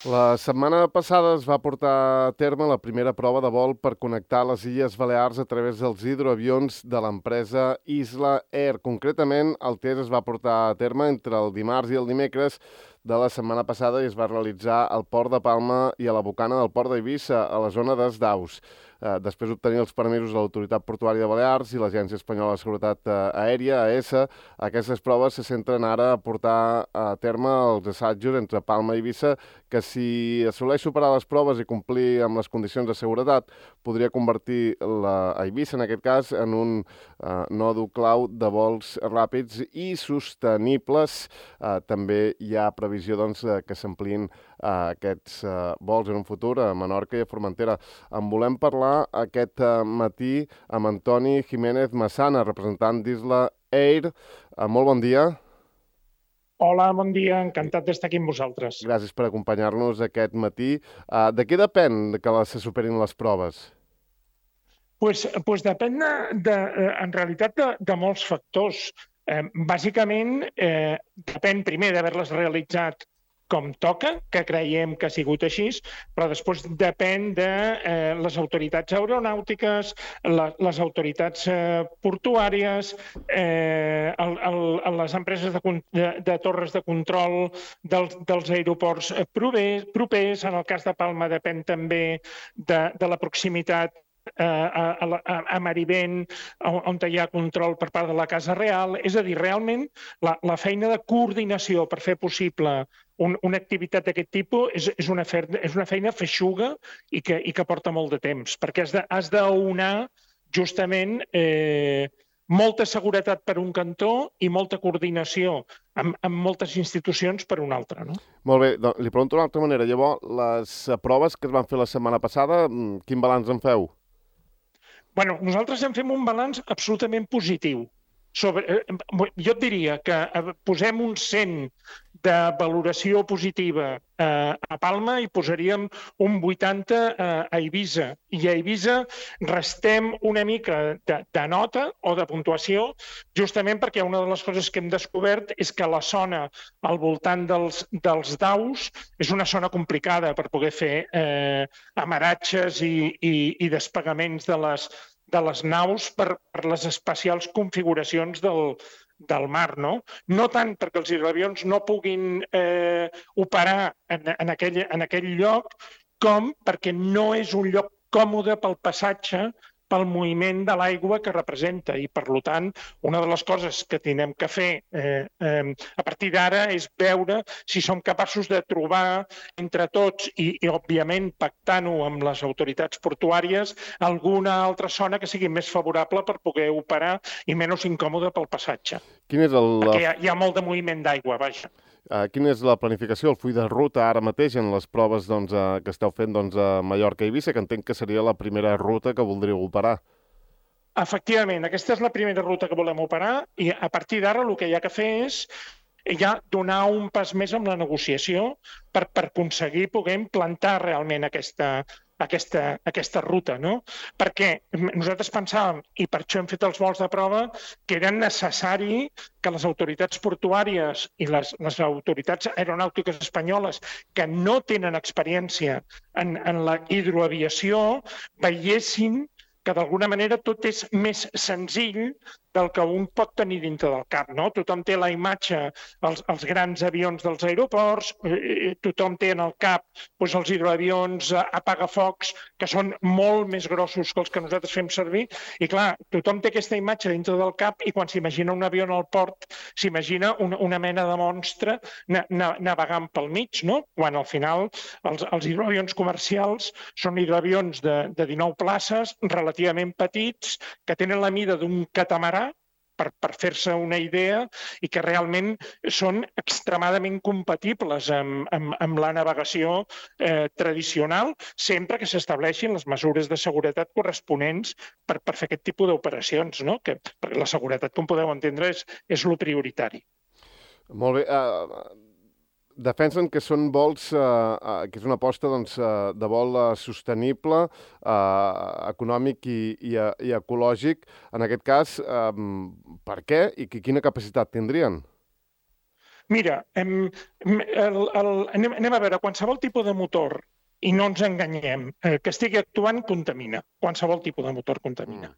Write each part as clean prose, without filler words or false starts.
La setmana passada es va portar a terme la primera prova de vol per connectar les Illes Balears a través dels hidroavions de l'empresa Isla Air. Concretament, el test es va portar a terme entre el dimarts i el dimecres de la setmana passada i es va realitzar al Port de Palma i a la Bocana del Port d'Eivissa, a la zona dels Daus. Després d'obtenir els permisos de l'Autoritat Portuària de Balears i l'Agència Espanyola de Seguretat Aèria, AESA, aquestes proves se centren ara a portar a terme els assajos entre Palma i Eivissa, que si assoleix superar les proves i complir amb les condicions de seguretat, podria convertir a Eivissa, en aquest cas, en un nòdul clau de vols ràpids i sostenibles. També hi ha previsió doncs, que s'ampliïn aquests vols en un futur a Menorca i a Formentera. En volem parlar aquest matí amb Antoni Jiménez Massana, representant d'Isla Air. Molt bon dia. Hola, bon dia, encantat d'estar aquí amb vosaltres. Gràcies per acompanyar-nos aquest matí. De què depèn que se superin les proves? Pues depèn en realitat de molts factors. Bàsicament, depèn primer d'haver-les realitzat com toca, que creiem que ha sigut així, però després depèn de les autoritats aeronàutiques, les autoritats portuàries, les empreses de torres de control dels aeroports propers. En el cas de Palma depèn també de la proximitat a Marivent, on hi ha control per part de la Casa Real. És a dir, realment, la feina de coordinació per fer possible una activitat d'aquest tipus és una feina feixuga i que porta molt de temps, perquè has d'aunar justament molta seguretat per un cantó i molta coordinació amb moltes institucions per un altre, no? Molt bé, doncs, li pregunto d'una altra manera. Llavors, les proves que es van fer la setmana passada, quin balanç en feu? Bueno, nosaltres en fem un balanç absolutament positiu. Jo et diria que posem un 100 de valoració positiva a Palma i posaríem un 80 a Eivissa. I a Eivissa restem una mica de nota o de puntuació, justament perquè una de les coses que hem descobert és que la zona al voltant dels daus és una zona complicada per poder fer amaratges i despegaments de les naus per les especials configuracions del mar, no? No tant perquè els hidroavions no puguin operar en aquell lloc, com perquè no és un lloc còmode pel passatge, pel moviment de l'aigua que representa. I, per tant, una de les coses que tenim que fer a partir d'ara és veure si som capaços de trobar entre tots i òbviament, pactant-ho amb les autoritats portuàries, alguna altra zona que sigui més favorable per poder operar i menys incòmode pel passatge. Perquè hi ha molt de moviment d'aigua, vaja. Quina és la planificació, el full de ruta ara mateix en les proves que esteu fent a Mallorca i Eivissa, que entenc que seria la primera ruta que voldríeu operar? Efectivament, aquesta és la primera ruta que volem operar i a partir d'ara el que hi ha que fer és ja donar un pas més amb la negociació per aconseguir poder implantar realment aquesta ruta, no? Perquè nosaltres pensàvem, i per això hem fet els vols de prova, que era necessari que les autoritats portuàries i les autoritats aeronàutiques espanyoles, que no tenen experiència en la hidroaviació, veiessin que d'alguna manera tot és més senzill del que un pot tenir dintre del cap, no? Tothom té la imatge, els grans avions dels aeroports, tothom té en el cap els hidroavions apagafocs, que són molt més grossos que els que nosaltres fem servir, i clar, tothom té aquesta imatge dintre del cap i quan s'imagina un avió en el port s'imagina una mena de monstre navegant pel mig, no? Quan al final els hidroavions comercials són hidroavions de 19 places, relativament petits, que tenen la mida d'un catamarà, per fer-se una idea, i que realment són extremadament compatibles amb la navegació tradicional, sempre que s'estableixin les mesures de seguretat corresponents per fer aquest tipus d'operacions, no? Perquè la seguretat, com podeu entendre, és lo prioritari. Molt bé. Defensen que són vols, que és una aposta de vol sostenible, econòmic i ecològic. En aquest cas, per què i quina capacitat tindrien? Mira, anem a veure, qualsevol tipus de motor, i no ens enganyem, que estigui actuant contamina. Qualsevol tipus de motor contamina.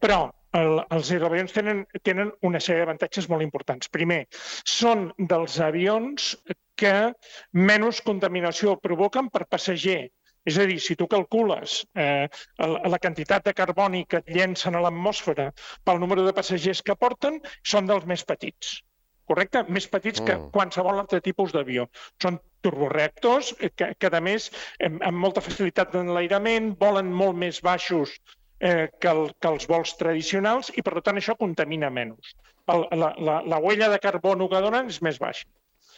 Però els hidroavions tenen una sèrie d'avantatges molt importants. Primer, són dels avions que menys contaminació provoquen per passager. És a dir, si tu calcules la quantitat de carboni que et llencen a l'atmosfera pel número de passagers que porten, són dels més petits. Correcte? Més petits que qualsevol altre tipus d'avió. Són turboreactors que a més, amb molta facilitat d'enlairament, volen molt més baixos que els vols tradicionals i, per tant, això contamina menys. La huella de carbono que donen és més baixa.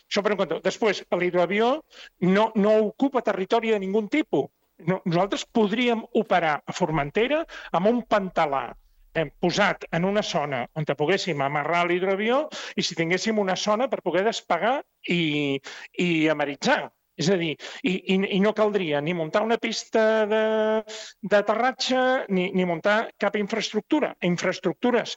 Això per un cantó. Després, l'hidroavió no ocupa territori de ningun tipus. Nosaltres podríem operar a Formentera amb un pantalà posat en una zona on poguéssim amarrar l'hidroavió i si tinguéssim una zona per poder despegar i ameritzar. És a dir, i no caldria ni muntar una pista d'aterratge ni muntar cap infraestructura. Infraestructures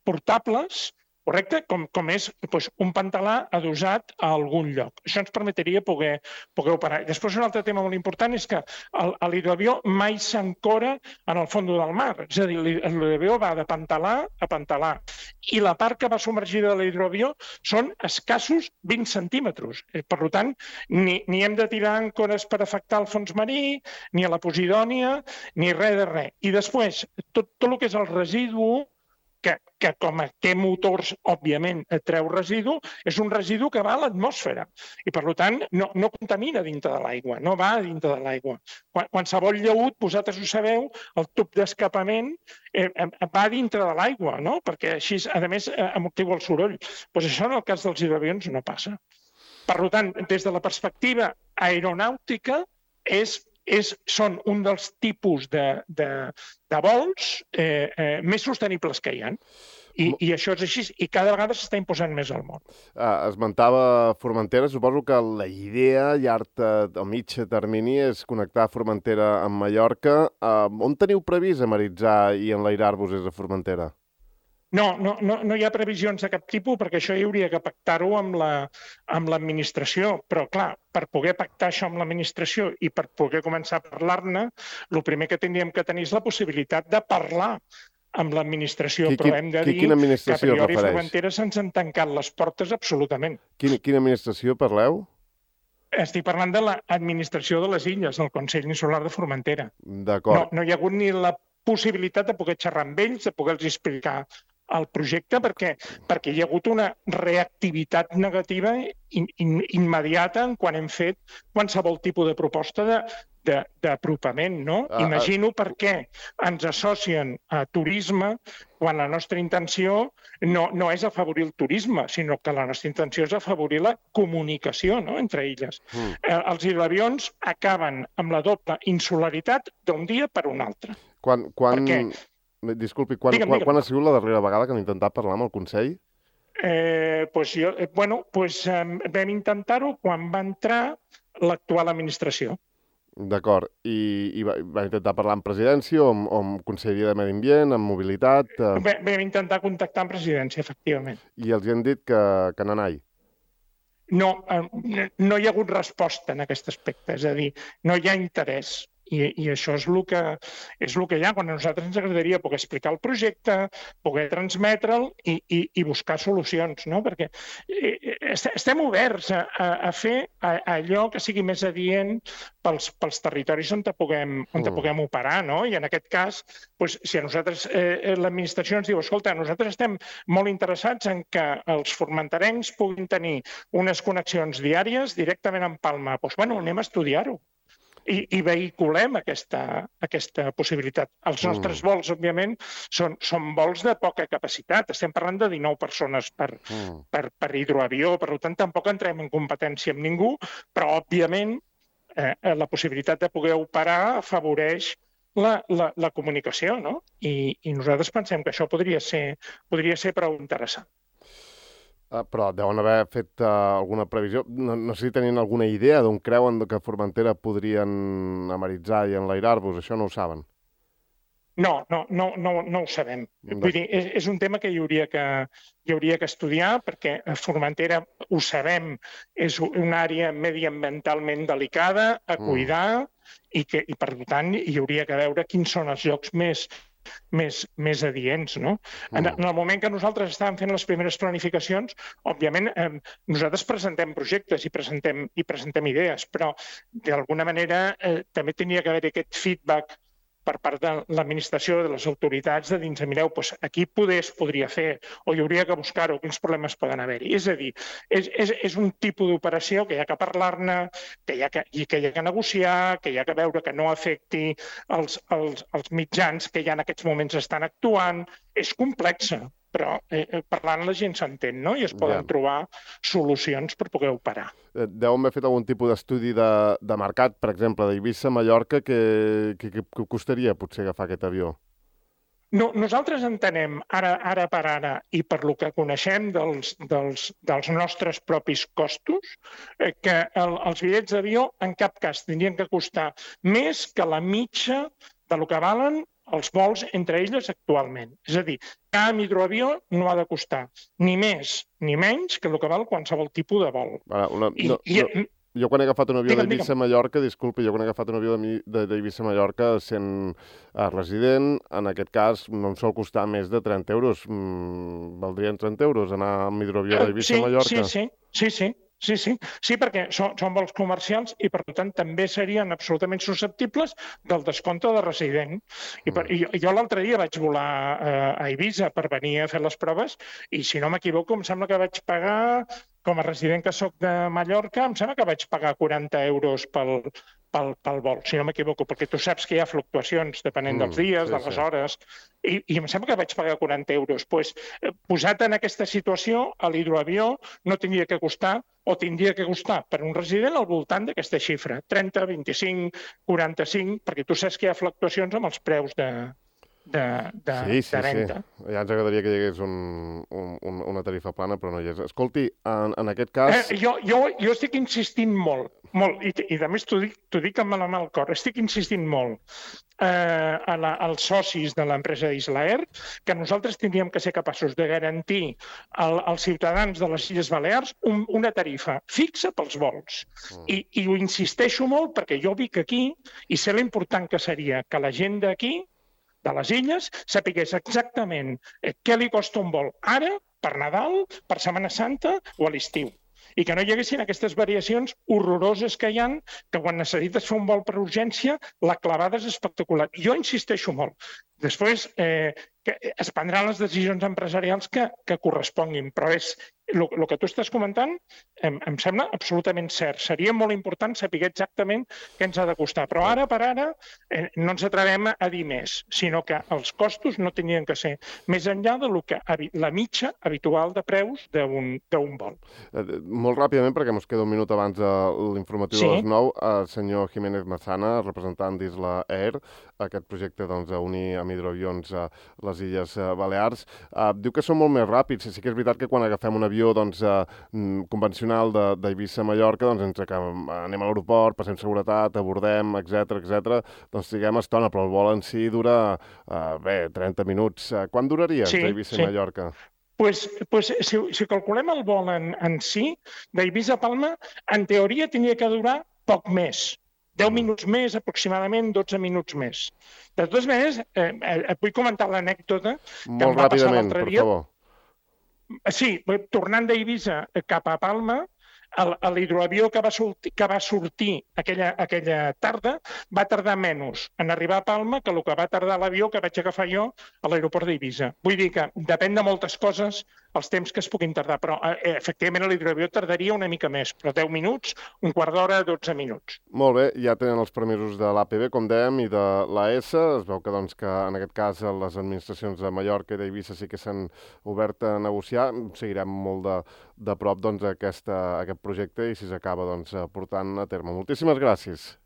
portables, correcte? Com és un pantalà adossat a algun lloc. Això ens permetria poder operar. Després, un altre tema molt important és que l'hidroavió mai s'ancora en el fons del mar. És a dir, l'hidroavió va de pantalà a pantalà. I la part que va submergida de l'hidroavió són escassos 20 centímetres. Per tant, ni hem de tirar àncores per afectar el fons marí, ni a la Posidònia, ni res de res. I després, tot el que és el residu, que com té motors, òbviament, treu residu, és un residu que va a l'atmosfera. I, per tant, no contamina dintre de l'aigua, no va dintre de l'aigua. Qualsevol llaüt, vosaltres ho sabeu, el tub d'escapament va dintre de l'aigua, no? Perquè així, a més, amortigua el soroll. Doncs això, en el cas dels hidroavions, no passa. Per tant, des de la perspectiva aeronàutica, són un dels tipus de vols més sostenibles que hi ha. I això és així, i cada vegada s'està imposant més al món. Esmentava Formentera, suposo que la idea a llarg o mig termini és connectar Formentera amb Mallorca. On teniu previst amaritzar i enlairar-vos des de Formentera? No hi ha previsions de cap tipus perquè això hi hauria que pactar-ho amb l'administració. Però, clar, per poder pactar això amb l'administració i per poder començar a parlar-ne, el primer que tindríem que tenir és la possibilitat de parlar amb l'administració. Però hem de dir que a priori Formentera se'ns han tancat les portes absolutament. Quina administració parleu? Estic parlant de l'administració de les illes, del Consell Insular de Formentera. D'acord. No hi ha hagut ni la possibilitat de poder xerrar amb ells, de poder-los explicar el projecte, perquè hi ha hagut una reactivitat negativa immediata quan hem fet qualsevol tipus de proposta d'apropament, no? Imagino per què ens associen a turisme quan la nostra intenció no és afavorir el turisme, sinó que la nostra intenció és afavorir la comunicació, no?, entre illes. Els hidroavions acaben amb la doble insularitat d'un dia per un altre. Disculpi, quan ha sigut la darrera vegada que han intentat parlar amb el Consell? Vam intentar-ho quan va entrar l'actual administració. D'acord. I va intentar parlar amb presidència o amb Conselleria de Medi Ambient, amb mobilitat? Vam intentar contactar amb presidència, efectivament. I els han dit que nanai? No hi ha hagut resposta en aquest aspecte, és a dir, no hi ha interès. I això és el que hi ha. Quan a nosaltres ens agradaria poder explicar el projecte, poder transmetre'l i buscar solucions, no? Perquè estem oberts a fer allò que sigui més adient pels territoris on puguem operar, no? I en aquest cas, si a nosaltres l'administració ens diu, escolta, nosaltres estem molt interessats en que els formenterencs puguin tenir unes connexions diàries directament amb Palma, doncs anem a estudiar-ho. I vehiculem aquesta possibilitat. Els nostres vols, òbviament, són vols de poca capacitat. Estem parlant de 19 persones per hidroavió, per tant, tampoc entrem en competència amb ningú, però, òbviament, la possibilitat de poder operar afavoreix la comunicació, no? I nosaltres pensem que això podria ser prou interessant. Però deuen haver fet alguna previsió. No sé si tenien alguna idea d'on creuen que a Formentera podrien amaritzar i enlairar-vos. Això no ho saben. No ho sabem. Vull dir, és un tema que hi hauria que estudiar, perquè Formentera, ho sabem, és una àrea mediambientalment delicada a cuidar i per tant hi hauria que veure quins són els llocs més adients, no? En el moment que nosaltres estàvem fent les primeres planificacions, òbviament nosaltres presentem projectes i presentem idees, però d'alguna manera també tenia que haver aquest feedback per part de l'administració, de les autoritats, de dir, mireu, aquí poder es podria fer, o hi hauria que buscar-ho, quins problemes poden haver-hi. És a dir, és un tipus d'operació que hi ha que parlar-ne, que hi ha que negociar, que hi ha que veure que no afecti els mitjans que ja en aquests moments estan actuant. És complexa, però parlant la gent s'entén, no? I es poden trobar solucions per poder operar. Deu haver fet algun tipus d'estudi de mercat, per exemple, d'Eivissa a Mallorca, que costaria potser agafar aquest avió? No, nosaltres entenem, ara per ara, i per lo que coneixem dels nostres propis costos, que els bitllets d'avió en cap cas tindrien que costar més que la mitja de lo que valen els vols entre elles actualment. És a dir, cada hidroavió no ha de costar ni més ni menys que el que val qualsevol tipus de vol. Jo quan he agafat un avió d'Eivissa a Mallorca, disculpi, jo quan he agafat un avió d'Eivissa a Mallorca sent resident, en aquest cas no em sol costar més de 30 euros. Valdrien 30 euros anar amb hidroavió d'Eivissa a Mallorca? Sí, perquè són vols comercials i, per tant, també serien absolutament susceptibles del descompte de resident. Jo l'altre dia vaig volar a Eivissa per venir a fer les proves i, si no m'equivoco, em sembla que vaig pagar, com a resident que soc de Mallorca, em sembla que vaig pagar 40 euros pel vol, si no m'equivoco, perquè tu saps que hi ha fluctuacions depenent dels dies, de les hores, i em sembla que vaig pagar 40 euros. Posat en aquesta situació, l'hidroavió no tindria que costar, o tindria que costar per un resident al voltant d'aquesta xifra, 30, 25, 45, perquè tu saps que hi ha fluctuacions amb els preus de venda. Sí. Ja ens agradaria que hi hagués una tarifa plana, però no hi és. Escolti, en aquest cas... Jo estic insistint molt, i a més t'ho dic amb la mà al cor, estic insistint molt als socis de l'empresa Islaer que nosaltres tindríem que ser capaços de garantir als ciutadans de les Illes Balears una tarifa fixa pels vols. I ho insisteixo molt perquè jo vic aquí i sé l'important que seria que la gent d'aquí, de les illes, sapigués exactament què li costa un vol ara, per Nadal, per Setmana Santa o a l'estiu. I que no hi haguessin aquestes variacions horroroses que hi ha, que quan necessites fer un vol per urgència, la clavada és espectacular. Jo insisteixo molt. Després es prendran les decisions empresarials que corresponguin, però el que tu estàs comentant em sembla absolutament cert. Seria molt important saber exactament què ens ha de costar, però ara per ara no ens atrevem a dir més, sinó que els costos no tenien que ser més enllà de la mitja habitual de preus d'un vol. Molt ràpidament, perquè ens queda un minut abans de l'informatiu de les 9, el senyor Jiménez Massana, representant d'Isla Air, aquest projecte d'unir amb hidroavions a les Illes Balears, diu que són molt més ràpids. Sí que és veritat que quan agafem un avió convencional d'Eivissa a Mallorca, anem a l'aeroport, passem seguretat, abordem, etc. Doncs triguem estona, però el vol en si dura 30 minuts. Quan duraria d'Eivissa a Mallorca? Si calculem el vol en si, d'Eivissa a Palma, en teoria tindria que durar poc més. 10 minuts més, aproximadament 12 minuts més. De totes maneres, et vull comentar l'anècdota que em va passar l'altre dia. Molt ràpidament, per favor. Sí, tornant d'Eivissa cap a Palma, l'hidroavió que va sortir aquella tarda va tardar menys en arribar a Palma que el que va tardar l'avió que vaig agafar jo a l'aeroport d'Eivissa. Vull dir que depèn de moltes coses els temps que es puguin tardar, però efectivament l'hidroavió tardaria una mica més, però 10 minuts, un quart d'hora, 12 minuts. Molt bé, ja tenen els permisos de l'APB, com dèiem, i de l'AS. Es veu que en aquest cas les administracions de Mallorca i d'Eivissa sí que s'han obert a negociar. Seguirem molt de prop aquest projecte i si s'acaba portant a terme. Moltíssimes gràcies.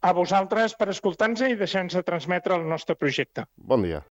A vosaltres per escoltar-nos i deixar-nos transmetre el nostre projecte. Bon dia.